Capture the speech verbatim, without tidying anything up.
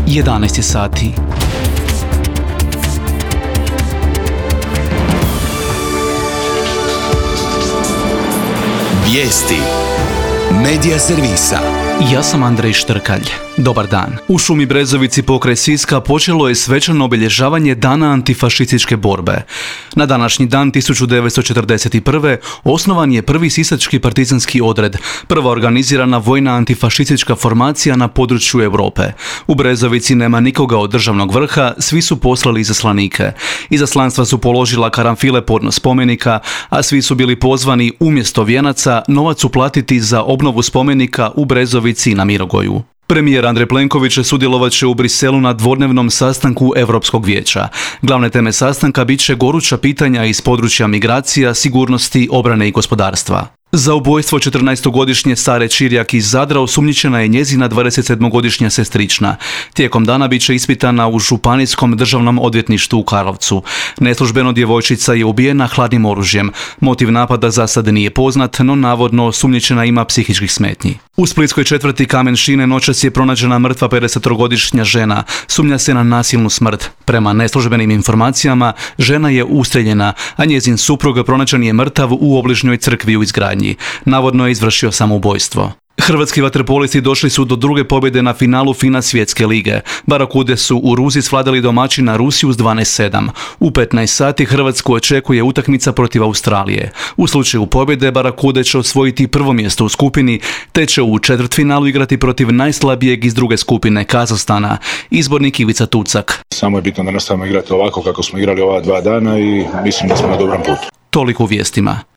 jedanaest je sati. Vijesti Medija servisa. Ja sam Andrej Štrkalj. Dobar dan. U šumi Brezovici pokraj Siska počelo je svečano obilježavanje Dana antifašističke borbe. Na današnji dan tisuću devetsto četrdeset prve. osnovan je prvi sisački partizanski odred, prva organizirana vojna antifašistička formacija na području Europe. U Brezovici nema nikoga od državnog vrha, svi su poslali izaslanike. Izaslanstva su položila karanfile podno spomenika, a svi su bili pozvani umjesto vijenaca novac uplatiti za obnovu spomenika u Brezovici i na Mirogoju. Premijer Andrej Plenković sudjelovat će u Briselu na dvodnevnom sastanku Europskog vijeća. Glavne teme sastanka bit će goruća pitanja iz područja migracija, sigurnosti, obrane i gospodarstva. Za ubojstvo četrnaestogodišnje Sare Čirjak iz Zadra osumnjičena je njezina dvadesetsedmogodišnja sestrična. Tijekom dana bit će ispitana u Županijskom državnom odvjetništvu u Karlovcu. Neslužbeno djevojčica je ubijena hladnim oružjem. Motiv napada za sad nije poznat, no navodno osumnjičena ima psihičkih smetnji. U splitskoj četvrti Kamen Šine noćas je pronađena mrtva pedesetogodišnja žena. Sumnja se na nasilnu smrt. Prema neslužbenim informacijama, žena je ustreljena, a njezin suprug pronađen je mrtav u obližnjoj crkvi u izgradnji. Navodno je izvršio samoubojstvo. Hrvatski vaterpolisti došli su do druge pobjede na finalu FINA svjetske lige. Barakude su u Ruzi svladali domaćina Rusiju s dvanaest sedam. U petnaest sati Hrvatsku očekuje utakmica protiv Australije. U slučaju pobjede Barakude će osvojiti prvo mjesto u skupini, te će u četvrtfinalu igrati protiv najslabijeg iz druge skupine, Kazahstana. Izbornik Ivica Tucak. Samo je bitno da nastavimo igrati ovako kako smo igrali ova dva dana i mislim da smo na dobrom putu. Toliko u vijestima.